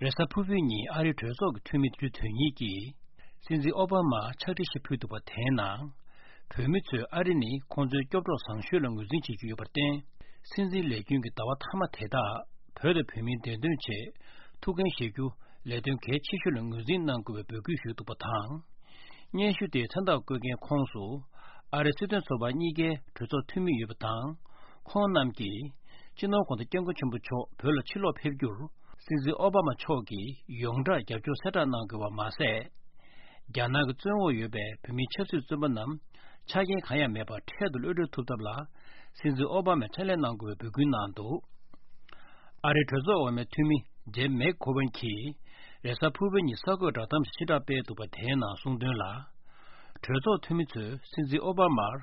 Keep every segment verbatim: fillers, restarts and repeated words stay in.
རེས་གཟའ་ཕུར་བུའི་ཉིན་ཨ་རིའི་གྲོས་ཚོགས་ཀྱི་འཐུས་མི་བདུན་ཅུ་དོན་གཉིས་ཀྱིས་སྲིད་འཛིན་ཨོ་བྷ་མར་ཕྱག་བྲིས་ཤིག་ཕུལ་འདུག་པ། དེའི་ནང་བོད་མི་ཚོས་ཨ་རི་ནི་ཁོང་ཚོའི་སྐྱོབ་གྲོགས་བཟང་ཤོས་ལ་ངོས་འཛིན་བྱེད་ཀྱི་ཡོད་པར་བརྟེན། སྲིད་འཛིན་ལས་རྒྱུན་གྱི་ཟླ་བ་མཐའ་མ་དེ་དག་བོད་དང་བོད་མིའི་བདེ་དོན་ཆེད་ཐུགས་འགན་བཞེས་རྒྱུ་ལས་དོན་གལ་ཆེ་ཤོས་ལ་ངོས་འཛིན་གནང་དགོས་པའི་འབོད་སྐུལ་ཞུས་འདུག་པ་དང་། སྙན་ཞུ་དེའི་མཚན་རྟགས་བཀོད་མཁན་ཁོངས་སུ་ཨ་རིའི་སྲིད་དོན་ཚོགས་པ་གཉིས་ཀའི་གྲོས་ཚོགས་འཐུས་མི་ཡོད་པ་དང་། ཁོང་རྣམས་ཀྱིས་སྤྱི་ནོར་གོང་ས་སྐྱབས་མགོན་ཆེན་པོ་མཆོག་བོད་ལ་ཕྱིར་ལོག་ཕེབས་རྒྱུར་སྲིད་འཛིན་ཨོ་བྷ་མ་མཆོག་གིས་ཡོངས་གྲགས་རྒྱབ་སྐྱོར་གསལ་བསྒྲགས་གནང་དགོས་པ་མ་ཟད། རྒྱ་ནག་གི་བཙོན་འོག་ཡོད་པའི་བོད་མིའི་ཆབ་སྲིད་བཙོན་པ་རྣམས་ཆ་རྐྱེན་གང་ཡང་མེད་པར་འཕྲལ་དུ་གློད་གྲོལ་ཐུབ་ཐབས་ལ་སྲིད་འཛིན་ཨོ་བྷ་མས་ཕྱག་ལས་གནང་དགོས་པའི་འབོད་སྐུལ་གནང་འདུག་ཨ་རིའི་གྲོས་ཚོགས་འོག་མའི་འཐུས་མི་ཇེབ་མེག་གྷོ་ཝན་གྱིས་རེས་གཟའ་ཕུར་བུའི་ཉིན་གསར་འགོད་བསྒྲགས་གཏམ་ཞིག་ཕྱིར་བསྒྲགས་སྤེལ་འདུག་པ། དེའི་ནང་གསུངས་དོན་ལ། གྲོས་ཚོགས་འཐུས་མི་ཚོས་སྲིད་འཛིན་ཨོ་བྷ་མར་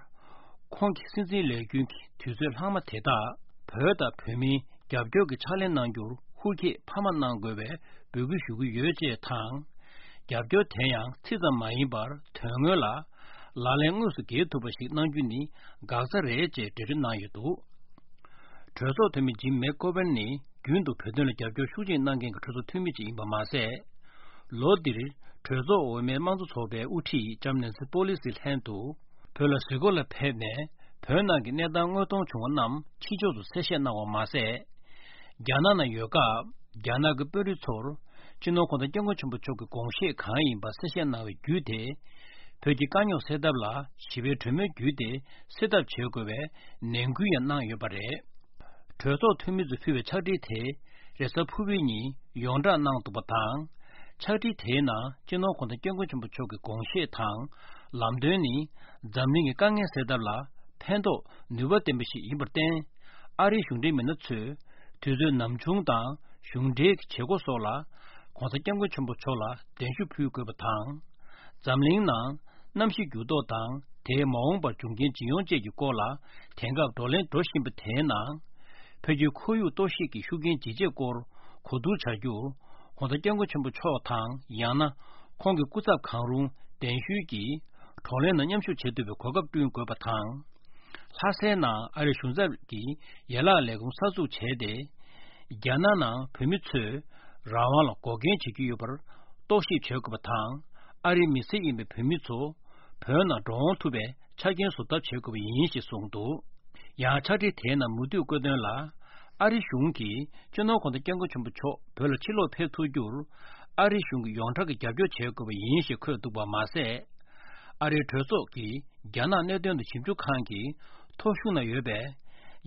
ཁོང་གི་སྲིད་འཛིན་ལས་རྒྱུན་གྱི་དུས་ཚོད་ལྷག་མ་དེ་དག་བོད་དང་བོད་མིའི་རྒྱབ་སྐྱོར་གྱི་ཕྱག་ལས་གནང་རྒྱུར་ཧུར་བསྐྱེད་འཕར་མ་གནང་དགོས་པའི་འབོད་སྐུལ་ཞུ་གི་ཡོད་ཅེས་དང་། རྒྱབ་སྐྱོར་དེ་ཡང་ཚིག་ཙམ་མ་ཡིན་པར་དོན་དངོས་ལ་ལག་ལེན་དངོས་སུ་འགེལ་ཐུབ་པ་ཞིག་གནང་རྒྱུ་ནི་འགག་རྩ་རེད་ཅེས་འགྲེལ་བརྗོད་གནང་ཡོད་འདུག་གྲོས་ཚོགས་འཐུས་མི་ཇིམ་མེག་གྷོ་ཝན་ནི་རྒྱུན་དུ་བོད་དོན་ལ་རྒྱབ་སྐྱོར་ཤུགས་ཆེ་གནང་མཁན་གྱི་གྲོས་ཚོགས་འཐུས་མི་ཅིག་ཡིན་པ་མ་ཟད། ལོ་འདིར་གྲོས་ཚོགས་འོག་མའི་དམངས་གཙོ་ཚོགས་པའི་དབུ་ཁྲིད་ལྕམ་ནེན་སི་པོ་ལི་སི་ལྷན་དུ་བོད་ལ་གཟིགས་སྐོར་ལ་ཕེབས་ནས་བོད་ནང་གི་གནས་སྟངས་དངོས་མཐོང་བྱུང་བ་རྣམས་ཕྱི་ཕྱོགས་སུ་གསལ་བཤད་གནང་བ་མ་ཟད། རྒྱ་ནག་ནང་ཡོད་སྐབས་རྒྱ་ནག་གི་དཔོན་རིགས་ཚོར་སྤྱི་ནོར་གོང་ས་སྐྱབས་མགོན་ཆེན་པོ་མཆོག་གི་དགོངས་བཞེད་གང་ཡིན་པ་གསལ་བཤད་གནང་བའི་བརྒྱུད་དེ། བོད་ཀྱི་དཀའ་རྙོག་སེལ་ཐབས་ལ་ཞི་བའི་གྲོས་མོལ་བརྒྱུད་དེ་སེལ་ཐབས་བྱེད་དགོས་པའི་ནན་སྐུལ་ཡང་གནང་ཡོད་པ་རེད། གྲོས་ཚོགས་འཐུས་མི་ཚོས་ཕུལ་བའི་ཕྱག་བྲིས་དེ་རེས་གཟའ་ཕུར་བུའི་ཉིན་ཡོངས་བསྒྲགས་གནང་འདུག་པ་དང་། ཕྱག་བྲིས་དེའི་ནང་སྤྱི་ནོར་གོང་ས་སྐྱབས་མགོན་ཆེན་པོ་མཆོག་གི་དགོངས་བཞེད་དང་ལམ་སྟོན་ནི་འཛམ་གླིང་གི་དཀའ་ངལ་སེལ་ཐབས་ལ་ཕན་ཐོགས་ནུས་པ་ལྡན་པ་ཞིག་ཡིན་པར་བརྟེན། ཨ་རིའི་གཞུང་འབྲེལ་མི་སྣ་ཚོས་དུས་ཚོད་ནམ་བྱུང་དང་གཞུང་འབྲེལ་གྱི་བྱེད་སྒོ་སོགས་ལ་གོང་ས་སྐྱབས་མགོན་ཆེན་པོ་མཆོག་ལ་གདན་ཞུ་ཕུལ་དགོས་པ་དང་། འཛམ་གླིང་ནང་གནམ་གཤིས་འགྱུར་ལྡོག་དང་དེའི་མ་འོངས་པར་འབྱུང་རྐྱེན་ཇི་ཡོང་བཅས་ཀྱི་སྐོར་ལ་དེང་སྐབས་བགྲོ་གླེང་འགྲོ་བཞིན་པ་དེའི་ནང་། བོད་ཀྱི་ཁོར་ཡུག་གཏོར་བཤིག་གི་ཤུགས་རྐྱེན་ཇི་ཆེ་སྐོར་གོ་བསྡུར་བྱ་རྒྱུ། གོང་ས་སྐྱབས་མགོན་ཆེན་པོ་མཆོག་དང་ཡང་ན་ཁོང་གི་སྐུ་ཚབ་གང་རུང་གདན་ཞུས་ཀྱིས་བགྲོ་གླེང་ནང་མཉམ་ཞུགས་བྱེད་ཐུབ་པའི་གོ་སྐབས་བསྐྲུན་དགོས་པ་དང་། ལྷ་སའི་ནང་ཨ་རིའི་གཞུང་ཚབ་ཀྱི་ཡན་ལག་ལས་ཁུངས་གསར་འཛུགས་བྱས་ཏེ། རྒྱ་ནག་ནང་བོད་མི་ཚོས་རང་དབང་ལ་འགོག་རྐྱེན་བྱེད་ཀྱི་ཡོད་པར་རྟོག་ཞིབ་བྱེད་དགོས་པ་དང་། ཨ་རིའི་མི་སེར་ཡིན་པའི་བོད་མི་ཚོ་བོད་ནང་འགྲོ་འོང་ཐུབ་པའི་ཆ་རྐྱེན་བཟོ་ཐབས་བྱེད་དགོས་པ་ཡིན་ཞེས་གསུངས་འདུག་ཡང་ཕྱག་བྲིས་དེའི་ནང་མུ་མཐུད་བཀོད་དོན་ལ། ཨ་རིའི་གཞུང་གིས་སྤྱི་ནོར་གོང་ས་སྐྱབས་མགོན་ཆེན་པོ་མཆོག་བོད་ལ་ཕྱིར་ལོག་ཕེབས་ཐུབ་རྒྱུར། ཨ་རིའི་གཞུང་གིས་ཡོངས་གྲགས་ཀྱི་རྒྱབ་སྐྱོར་བྱེད་དགོས་པ་ཡིན་ཞེས་འཁོད་འདུག་པ་མ་ཟད། ཨ་རིའི་གྲོས་ཚོགས་ཀྱི་རྒྱ་ནག་གནད་དོན་དང་ཞིབ་འཇུག་ཁང་གི་ཐོ་གཞུང་ན་ཡོད་པའི་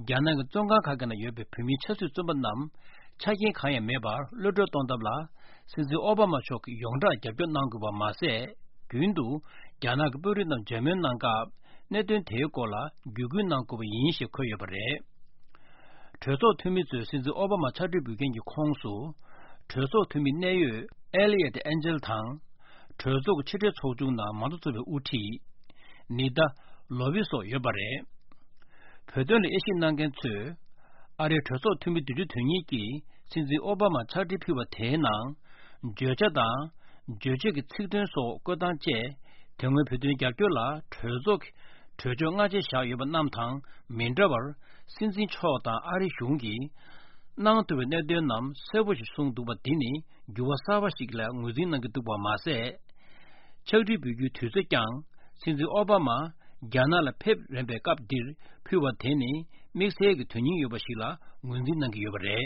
རྒྱ་ནག་གི་བཙོན་ཁང་ཁག་གི་ནང་ཡོད་པའི་བོད་མིའི་ཆབ་སྲིད་བཙོན་པ་རྣམས་ཆ་རྐྱེན་གང་ཡང་མེད་པར་གློད་གྲོལ་གཏོང་ཐབས་ལ་སྲིད་འཛིན་ཨོ་བྷ་མ་མཆོག་གིས་ཡོངས་གྲགས་རྒྱབ་སྐྱོར་གནང་དགོས་པ་མ་ཟད། རྒྱུན་དུ་རྒྱ་ནག་གི་དཔོན་རིགས་རྣམས་མཇལ་མོལ་གནང་སྐབས་གནད་དོན་དེའི་སྐོར་ལ་བརྒྱུད་སྐུལ་གནང་དགོས་པ་ཡིན་ཞེས་འཁོད་ཡོད་པ་རེད། གྲོས་ཚོགས་འཐུས་མི་ཚོས་སྲིད་འཛིན་ཨོ་བྷ་མ་ཕྱག་བྲིས་འབུལ་མཁན་གྱི་ཁོངས་སུ། གྲོས་ཚོགས་འཐུས་མི་གནད་ཡོད་ཨེ་ལི་ཡེ་ཏི་ཨན་ཇེལ་དང་། གྲོས་ཚོགས་ཀྱི་ཕྱི་དྲིལ་ཚོགས་ཆུང་ནང་མང་གཙོ་ཚོགས་པའི་དབུ་ཁྲིད། ནི་ད་ལོ་བི་སོགས་ཡོད་པ་རེད། བོད་དོན་ལ་དབྱེ་ཞིབ་གནང་མཁན་ཚོས། ཨ་རིའི་གྲོས་ཚོགས་འཐུས་མི་བདུན་ཅུ་དོན་གཉིས་ཀྱིས་སྲིད་འཛིན་ཨོ་བྷ་མར་ཕྱག་བྲིས་ཕུལ་བ་དེའི་ནང་། བརྗོད་བྱ་དང་། བརྗོད་བྱེད་ཀྱི་ཚིག་དོན་སོགས་བཀོད་སྟངས་བཅས། དེ་སྔོན་བོད་དོན་རྒྱབ་སྐྱོར་ལ་གྲོས་ཚོགས་ཀྱི་གྲོས་ཆོད་སྔ་རྗེས་བཞག་ཡོད་པ་རྣམས་དང་མི་འདྲ་བར། སྲིད་འཛིན་མཆོག་དང་ཨ་རིའི་གཞུང་གིས་གནང་ཐུབ་པའི་གནད་དོན་རྣམས་གསལ་པོ་ཞིག་གསུངས་འདུག་པ་འདི་ནི་འགྱུར་བ་གསར་པ་ཞིག་ལ་ངོས་འཛིན་གནང་གི་འདུག་པ་མ་ཟད། ཕྱག་བྲིས་འབུལ་རྒྱུའི་དུས་ཚོད་ཀྱང་སྲིད་འཛིན་ཨོ་བྷ་མ་རྒྱ་ནག་ལ་ཕེབས་རན་པའི་སྐབས་འདིར་ཕུལ་བ་དེ་ནི་དམིགས་བསལ་གྱི་དོན་སྙིང་ཡོད་པ་ཞིག་ལ་ངོས་འཛིན་གནང་གི་ཡོད་པ་རེད།